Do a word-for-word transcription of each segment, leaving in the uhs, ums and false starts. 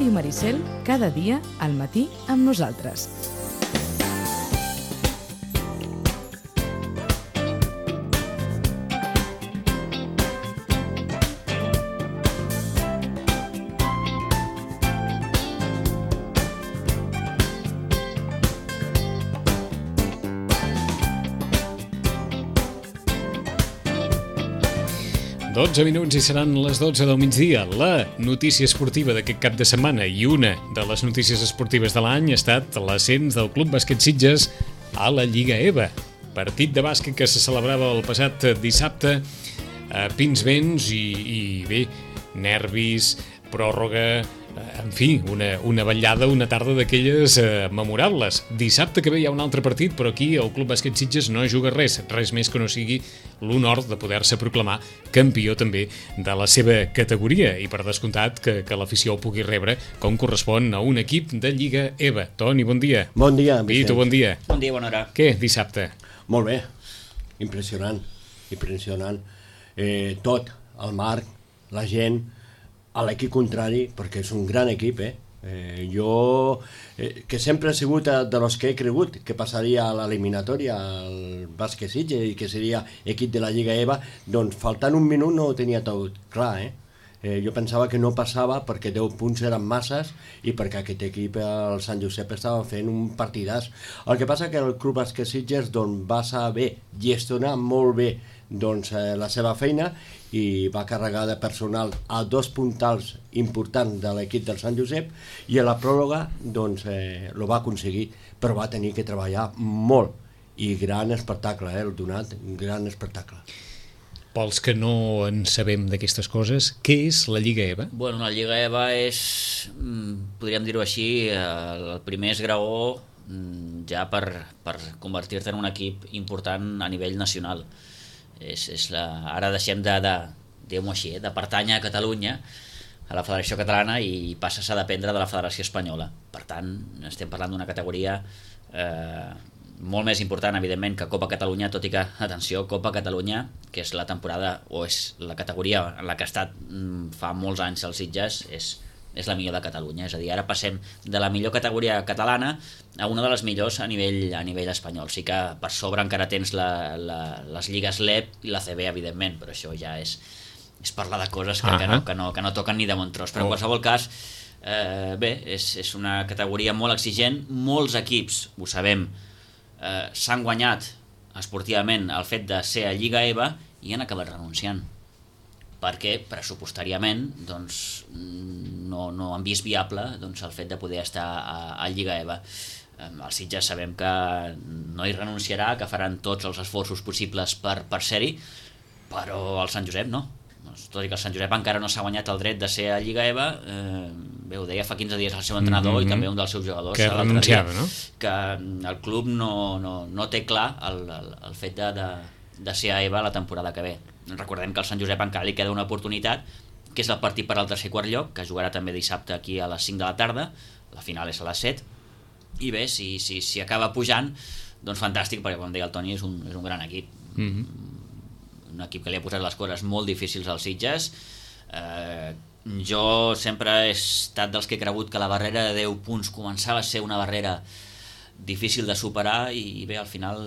Ràdio Maricel, cada dia al matí amb nosaltres. dotze minuts i seran les dotze del migdia. La notícia esportiva d'aquest cap de setmana i una de les notícies esportives de l'any ha estat l'ascens del Club Bàsquet Sitges a la Lliga EVA. Partit de bàsquet que se celebrava el passat dissabte a Pinsbens i, i bé, nervis, pròrroga, en fi, una, una vetllada, una tarda d'aquelles eh, memorables. Dissabte que ve hi ha un altre partit, però aquí el Club Bàsquet Sitges no juga res, res més que no sigui l'honor de poder-se proclamar campió també de la seva categoria i per descomptat que, que l'afició el pugui rebre com correspon a un equip de Lliga EVA. Toni, bon dia. Bon dia, Vicent. Vito, bon dia. Bon dia, bona hora. Què, dissabte? Molt bé, impressionant, impressionant. Eh, tot, el marc, la gent, a l'equip contrari, perquè és un gran equip, eh? eh jo, eh, que sempre he sigut de los que he cregut que passaria a l'eliminatòria al Bàsquet Sitges i que seria equip de la Lliga EVA, doncs faltant un minut no ho tenia tot clar, eh? Eh, jo pensava que no passava perquè deu punts eren masses i perquè aquest equip, el Sant Josep, estava fent un partidàs. El que passa que el Club Bàsquet Sitges doncs, va saber gestionar molt bé doncs, eh, la seva feina i va carregar de personal a dos puntals importants de l'equip del Sant Josep i a la pròrroga doncs, eh, lo va aconseguir, però va tenir que treballar molt i gran espectacle, eh, el donat, un gran espectacle. Pels que no en sabem d'aquestes coses, què és la Lliga EVA? Bueno, la Lliga EVA és, podríem dir-ho així, el primer esgraó ja per, per convertir-te en un equip important a nivell nacional. És, és la, ara deixem de, de, diguem-ho així, de pertànyer a Catalunya, a la Federació Catalana, i passes a dependre de la Federació Espanyola. Per tant, estem parlant d'una categoria eh, molt més important, evidentment, que Copa Catalunya, tot i que, atenció, Copa Catalunya, que és la temporada, o és la categoria en la que ha estat fa molts anys els Sitges, és, és la millor de Catalunya. És a dir, ara passem de la millor categoria catalana a una de les millors a nivell, a nivell espanyol. Sí que per sobre encara tens la, la, les lligues L E P i la C B, evidentment, però això ja és, és parlar de coses que, uh-huh. que, no, que, no, que no toquen ni de bon tros. Però en qualsevol cas, eh, bé, és, és una categoria molt exigent. Molts equips, ho sabem, eh, s'han guanyat esportivament el fet de ser a Lliga EVA i han acabat renunciant, perquè pressupostàriament doncs, no, no han vist viable doncs, el fet de poder estar a, a Lliga EVA. Els Sitges sabem que no hi renunciarà, que faran tots els esforços possibles per, per ser-hi, però el Sant Josep no. Tot i que el Sant Josep encara no s'ha guanyat el dret de ser a Lliga EVA, eh, bé, ho deia fa quinze dies el seu entrenador mm-hmm. i també un dels seus jugadors que renunciava, no? Que el club no, no, no té clar el, el, el fet de, de, de ser a EVA la temporada que ve. Recordem que al Sant Josep encara li queda una oportunitat, que és el partit per al tercer quart lloc, que jugarà també dissabte aquí a les cinc de la tarda, la final és a les set, i bé, si, si, si acaba pujant, doncs fantàstic, perquè com deia el Toni, és un, és un gran equip. Mm-hmm. Un equip que li ha posat les coses molt difícils als Sitges. Eh, jo sempre he estat dels que he cregut que la barrera de deu punts començava a ser una barrera difícil de superar i bé, al final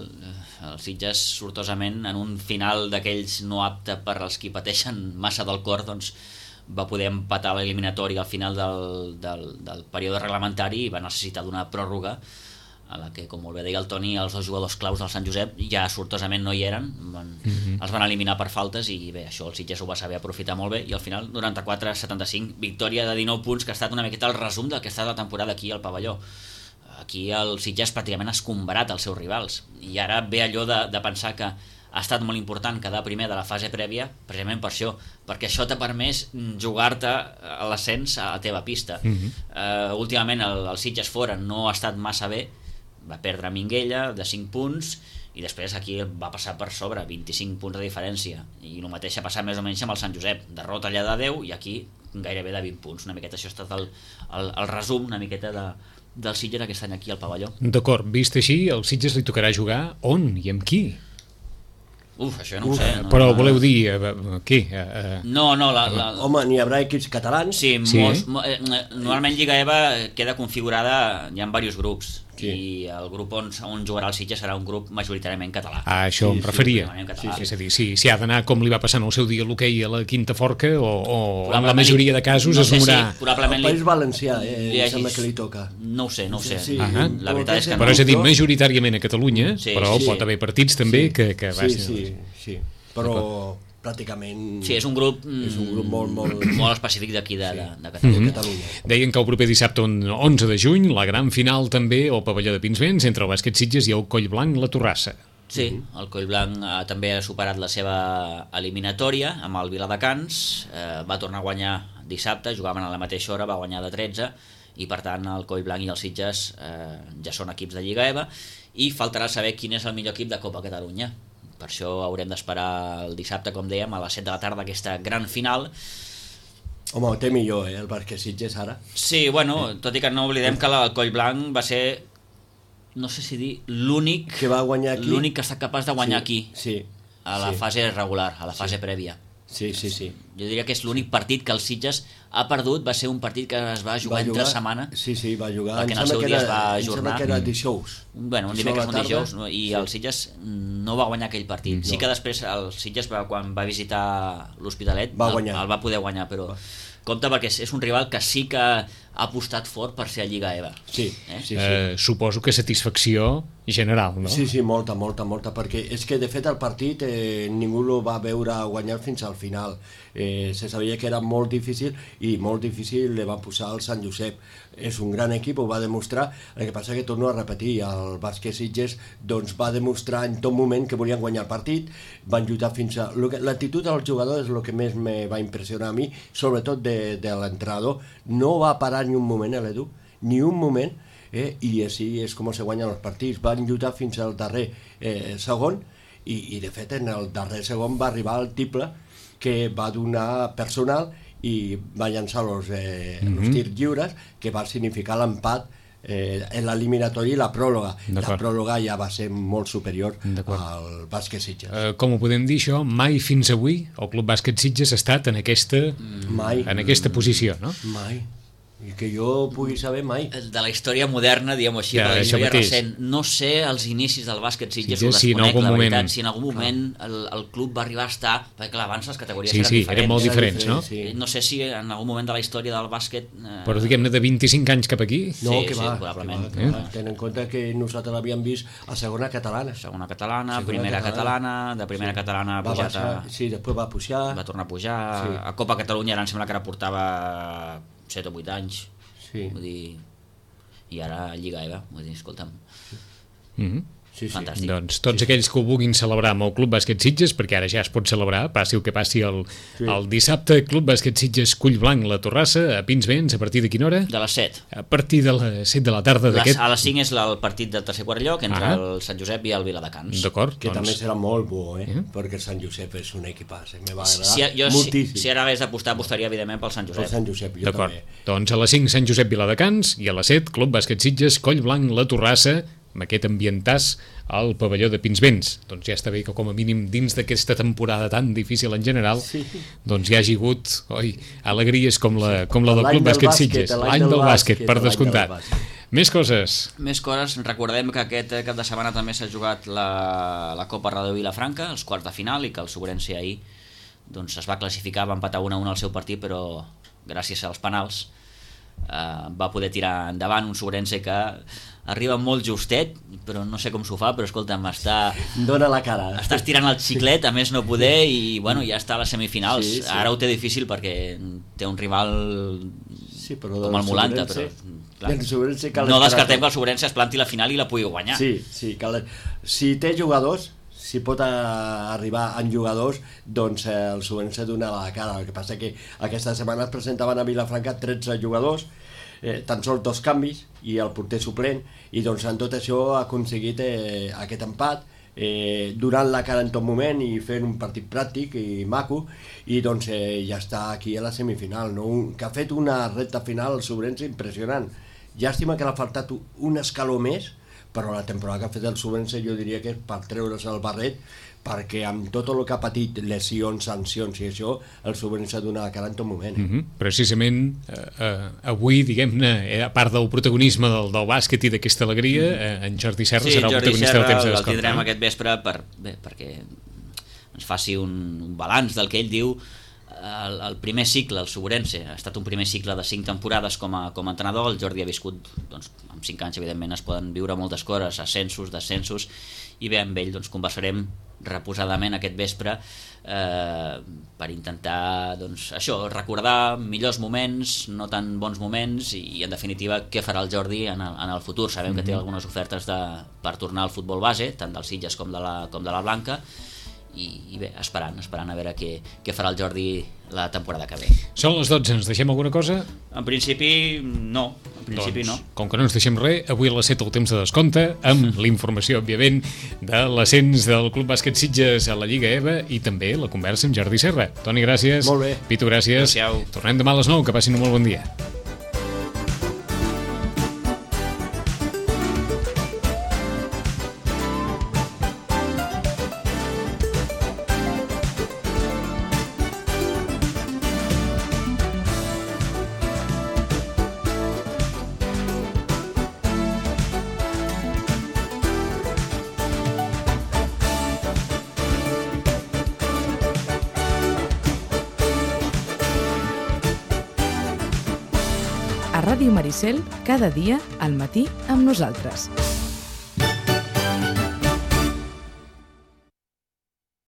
els Sitges sortosament en un final d'aquells no apte per als qui pateixen massa del cor doncs va poder empatar l'eliminatori al final del, del, del període reglamentari i va necessitar d'una pròrroga a la que, com molt bé deia el Toni, els dos jugadors claus del Sant Josep ja sortosament no hi eren, van, mm-hmm. els van eliminar per faltes i bé, això el Sitges ho va saber aprofitar molt bé i al final noranta-quatre a setanta-cinc, victòria de dinou punts que ha estat una miqueta el resum del que ha estat la temporada aquí al pavelló. Aquí el Sitges pràcticament ha escombrat els seus rivals i ara ve allò de, de pensar que ha estat molt important quedar primer de la fase prèvia precisament per això, perquè això t'ha permès jugar-te a l'ascens a la teva pista. Mm-hmm. uh, últimament el, el Sitges fora no ha estat massa bé, va perdre a Minguella de cinc punts i després aquí va passar per sobre vint-i-cinc punts de diferència i el mateix ha passat més o menys amb el Sant Josep, derrota allà de deu i aquí gairebé de vint punts, una miqueta això ha estat el, el, el resum una miqueta de, del Sitges aquest any aquí al pavelló. D'acord, vist així, al Sitges li tocarà jugar on i amb qui? Uf, això no ho sé. No, Però no, voleu dir, eh, què? Eh, eh, No, no, la... la... Home, n'hi haurà equips catalans. Sí, Sí. molts, mo- eh, normalment Lliga EVA queda configurada, hi ha diversos grups, Sí. i el grup on, on jugarà el Sitges serà un grup majoritàriament català. a això Sí, em sí, referia. sí, sí, sí. És a dir, si, si ha d'anar com li va passar en el seu dia l'hoquei a la Quinta Forca o, o en la Probablement majoria li- de casos no es sé si veurà... probablement El País Valencià, eh, li em sembla hagis- que li toca. No ho sé, no ho sé. Sí, Ahà. La veritat és que Però no. és a dir, majoritàriament a Catalunya, Sí, però sí. pot haver partits també Sí. que, que Sí, vagin- sí, sí. Però pràcticament... Sí, és un grup, És un grup molt, molt... molt específic d'aquí de, Sí. de, de de Catalunya. Catalunya. Deien que el proper dissabte onze de juny, la gran final també al pavelló de Pinsbens entre el Bàsquet Sitges i el Collblanc La Torrassa. Sí, el Collblanc eh, també ha superat la seva eliminatòria amb el Viladecans, eh, va tornar a guanyar dissabte, jugaven a la mateixa hora, va guanyar de tretze, i per tant el Collblanc i el Sitges eh, ja són equips de Lliga EVA, i faltarà saber quin és el millor equip de Copa Catalunya. Per això haurem d'esperar el dissabte, com dèiem, a les set de la tarda, aquesta gran final. Home, ho té millor, eh, el Bàsquet Sitges ara. Sí, bueno, tot i que no oblidem que el Collblanc va ser, no sé si dir, l'únic Que va guanyar aquí. l'únic que ha estat capaç de guanyar Sí, aquí, Sí. a la sí. fase regular, a la fase prèvia. Sí, sí, sí. Jo diria que és l'únic partit que el Sitges ha perdut, va ser un partit que es va jugar, Va entre setmana, Sí, sí, va jugar. Perquè Em en el sembla seu que dia era- es va em sembla ajornar. que era dijous. bueno, un Dijous a dimecres, la un tarda. dijous, no? I Sí. el Sitges no va guanyar aquell partit. Sí No. que després el Sitges, va, quan va visitar l'Hospitalet, Va el, guanyar. el va poder guanyar, però compte perquè és, és un rival que sí que ha apostat fort per ser a Lliga EVA. Sí, Eh? sí, sí. Eh, suposo que satisfacció general, no? Sí, sí, molta, molta, molta, perquè és que de fet el partit eh, ningú lo va veure guanyar fins al final. Eh, se sabia que era molt difícil i molt difícil le va posar el Sant Josep. És un gran equip, ho va demostrar, el que passa que torno a repetir, el Bàsquet Sitges doncs, va demostrar en tot moment que volien guanyar el partit, van lluitar fins a... lo que- L'actitud dels jugadors és el que més me va impressionar a mi, sobretot de, de l'entrenador. No va parar ni un moment, eh, l'Edu, ni un moment, eh, i així és com se guanyen els partits. Van lluitar fins al darrer eh, segon i, i de fet en el darrer segon va arribar el tiple que va donar personal i va llançar els eh, Mhm. mm -hmm. tirs lliures, que va significar l'empat eh, en l'eliminatori i la pròloga. La D'acord. pròloga ja va ser molt superior D'acord. al Bàsquet Sitges. Eh, com ho podem dir això? Mai fins avui el Club Bàsquet Sitges ha estat en aquesta, Mai, en aquesta posició, no? mai. I que jo pugui saber mai. De la història moderna, diguem-ho així, Ja, de la això història mateix. recent. No sé els inicis del bàsquet Sitges, Sitges, ho si en desconec, algun la moment- veritat, si en algun moment el, el club va arribar a estar, perquè clar, abans les categories Sí, eren sí, diferents. eren molt Era diferents, no? diferent, sí. No sé si en algun moment de la història del bàsquet... Eh, Però diguem-ne de vint-i-cinc anys cap aquí, No, Sí, que sí, va, probablement. que va, que va. Ten en compte que nosaltres l'havíem vist a segona catalana. segona catalana, Segona primera catalana. catalana, de primera catalana ha Va pujat a, baixar, sí, després va pujar. va tornar a pujar, Sí. a Copa Catalunya ara em sembla que ara portava set o vuit anys, Sí, vull dir, i ara Lliga EVA, vull dir, escolta'm, mm sí, sí. fantàstic. doncs tots aquells que ho vulguin celebrar amb el Club Bàsquet Sitges, perquè ara ja es pot celebrar, passi el que passi el, Sí. el dissabte, Club Bàsquet Sitges Collblanc La Torrassa, a Pinsbens, a partir de quina hora? De les set. A partir de les set de la tarda Les, d'aquest... a les cinc és la- el partit del tercer quart lloc entre Ah. el Sant Josep i el Viladecans. D'acord, Que també doncs... serà molt bo, eh? Eh? Perquè el Sant Josep és un equipàs, eh? Me va Si, agradar si, jo, si, moltíssim. si ara hagués d'apostar, apostaria evidentment pel Sant El Josep. Sant Josep, jo D'acord, també. doncs a les cinc Sant Josep Viladecans i a les set Club Bàsquet Sitges Collblanc La Torrassa, amb aquest ambientàs al pavelló de Pinsbens. Doncs ja està bé que com a mínim dins d'aquesta temporada tan difícil en general, Sí. doncs hi hagi hagut oi, alegries com la, com la del L'any Club del Bàsquet bàsquet, Sitges. l'any L'any del del bàsquet, bàsquet, per l'any del descomptat. bàsquet. Més coses. Més coses, recordem que aquest eh, cap de setmana també s'ha jugat la, la Copa Radio Vilafranca, els quarts de final, i que el Sobrense ahir doncs, es va classificar, va empatar un a un al seu partit, però gràcies als penals eh, va poder tirar endavant un Sobrense que arriba molt justet, però no sé com s'ho fa, però escolta'm, està, Dóna la cara. està estirant el xiclet, a més no poder, i bueno, ja està a les semifinals. Sí, sí. Ara ho té difícil perquè té un rival Sí, però com el del Molanta, però Sobrense- clar, del Sobrense cal no esperar descartem tot. que el Sobrense es planti a la final i la pugui guanyar. Sí, sí, cal... si té jugadors, si pot a, arribar en jugadors, doncs eh, el Sobrense dona la cara. El que passa que aquesta setmana es presentaven a Vilafranca tretze jugadors, eh, tan sols dos canvis i el porter suplent, i doncs en tot això ha aconseguit eh, aquest empat, eh, donant la cara en tot moment i fent un partit pràctic i maco, i doncs eh, ja està aquí a la semifinal, no? Un, que ha fet una recta final al Sobrense impressionant. Llàstima que l'ha faltat un escaló més però la temporada que ha fet el Subrense jo diria que és per treure's el barret, perquè amb tot el que ha patit, lesions, sancions i això, el Subrense ha donat la cara en tot moment. Eh? Mm-hmm. Precisament eh, eh, avui, diguem-ne, eh, a part del protagonisme del, del bàsquet i d'aquesta alegria, eh, en Jordi Serra sí, serà el Jordi protagonista Serra del temps de el descompte. tindrem aquest vespre per, bé, perquè ens faci un, un balanç del que ell diu. El, el primer cicle, el Subrense, ha estat un primer cicle de cinc temporades com a, com a entrenador. El Jordi ha viscut, doncs, amb cinc anys evidentment es poden viure moltes coses, ascensos, descensos, i bé, amb ell doncs, conversarem reposadament aquest vespre eh, per intentar doncs, això, recordar millors moments, no tan bons moments, i en definitiva què farà el Jordi en el, en el futur. Sabem mm-hmm. que té algunes ofertes de, per tornar al futbol base, tant del Sitges com de la, com de la Blanca, i, i bé, esperant, esperant a veure què, què farà el Jordi la temporada que ve. Són les dotze, ens deixem alguna cosa? En principi no, en principi doncs, no. Com que no ens deixem res, avui a les set el temps de descompte, amb la informació, òbviament, de l'ascens del Club Bàsquet Sitges a la Lliga E V A i també la conversa amb Jordi Serra. Toni, gràcies. Molt bé. Pitu, gràcies. Adéu-siau. Tornem demà a les nou, que passin un molt bon dia. A Ràdio Maricel, cada dia al matí amb nosaltres.